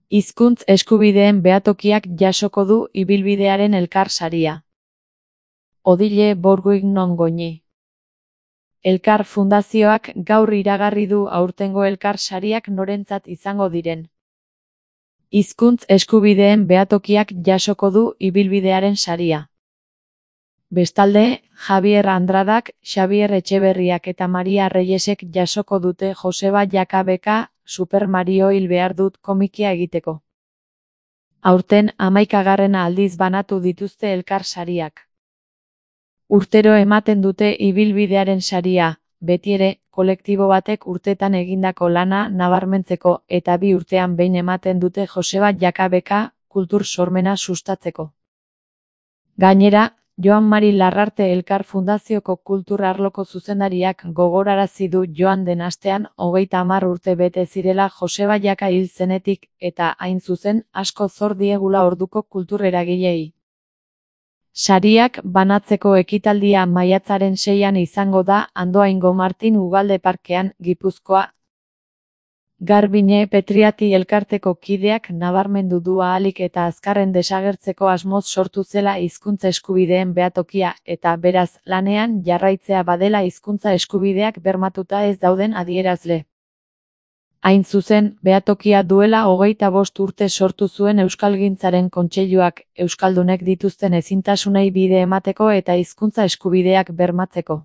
Hizkuntz eskubideen behatokiak jasoko du ibilbidearen Elkar saria. Odile Bourguignon Goñi. Elkar Fundazioak gaur iragarri du aurtengo Elkar sariak norentzat izango diren. Hizkuntz eskubideen behatokiak jasoko du ibilbidearen saria. Bestalde, Javier Andradak, Xabier Etxeberriak eta Maria Reyesek jasoko dute Joseba Jakabeka, Super Mario hil behar dut komikia egiteko. Aurten 11. aldiz banatu dituzte Elkar sariak. Urtero ematen dute ibilbidearen saria, betiere, kolektibo batek urtetan egindako lana nabarmentzeko eta 2 urtean behin ematen dute Joseba Jakabeka, kultur sormena sustatzeko. Gainera, Joan Mari Larrarte Elkar Fundazioko kultur arloko zuzendariak gogorarazi du joan den astean 30 urte bete zirela Joseba Jaka hil zenetik eta hain zuzen asko zor diegula orduko kultur eragileei. Sariak banatzeko ekitaldia maiatzaren 6an izango da Andoaingo Martin Ugalde Parkean, Gipuzkoa. Garbine Petriati elkarteko kideak nabarmendu du ahalik eta azkarren desagertzeko asmoz sortu zela hizkuntza eskubideen behatokia eta beraz lanean jarraitzea badela hizkuntza eskubideak bermatuta ez dauden adierazle. Hain zuzen, behatokia duela 25 urte sortu zuen Euskalgintzaren Kontseiluak, euskaldunek dituzten ezintasunei bide emateko eta hizkuntza eskubideak bermatzeko.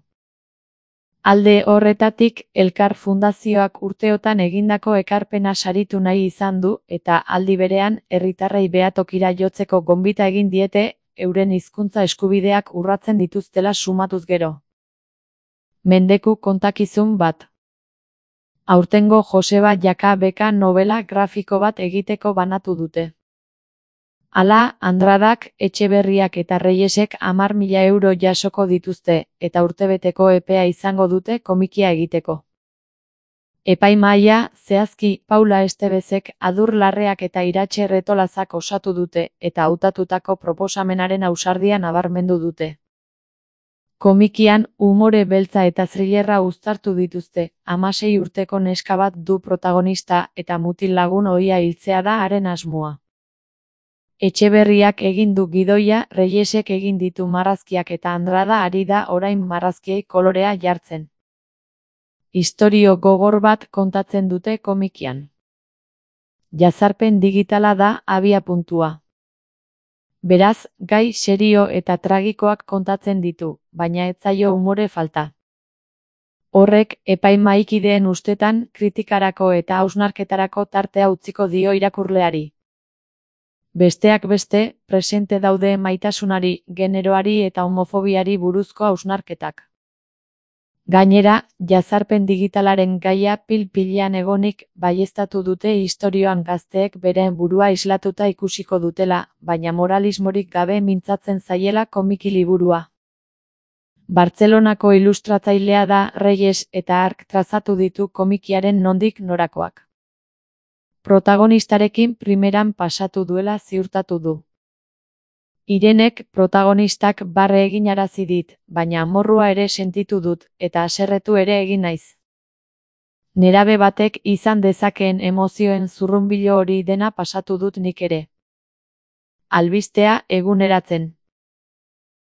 Alde horretatik, Elkar Fundazioak urteotan egindako ekarpena saritu nahi izan du eta aldi berean herritarrei behatokira jotzeko gonbita egin diete, euren hizkuntza eskubideak urratzen dituztela sumatuz gero. Mendeku kontakizun bat. Aurtengo Joseba Jakabeka novela grafiko bat egiteko banatu dute. Hala, Andradak, Etxeberriak eta Reyesek 10.000 euro jasoko dituzte, eta urtebeteko epea izango dute komikia egiteko. Epaimahaia, zehazki, Paula Estebezek, Adur Larreak eta Iratxe Retolazak osatu dute, eta hautatutako proposamenaren ausardia nabarmendu dute. Komikian, umore beltza eta thrillerra uztartu dituzte, 16 urteko neska bat du protagonista eta mutil lagun ohia hiltzea da haren asmoa. Etxeberriak egin du gidoia, Reyesek egin ditu marrazkiak eta Andrada ari da orain marrazkiei kolorea jartzen. Istorio gogor bat kontatzen dute komikian. Jazarpen digitala da abiapuntua. Beraz, gai serio eta tragikoak kontatzen ditu, baina ez zaio umore falta. Horrek, epaimahaikideen ustetan, kritikarako eta hausnarketarako tartea utziko dio irakurleari. Besteak beste, presente daude maitasunari, generoari eta homofobiari buruzko hausnarketak. Gainera, jazarpen digitalaren gaia pil-pilean egonik baieztatu dute istorioan gazteek beren burua islatuta ikusiko dutela, baina moralismorik gabe mintzatzen zaiela komiki liburua. Bartzelonako ilustratzailea da Reyes eta hark trazatu ditu komikiaren nondik norakoak. Protagonistarekin primeran pasatu duela ziurtatu du. Irenek protagonistak barre eginarazi dit, baina amorrua ere sentitu dut, eta haserretu ere egin naiz. Nerabe batek izan dezakeen emozioen zurrunbilo hori dena pasatu dut nik ere. Albistea eguneratzen.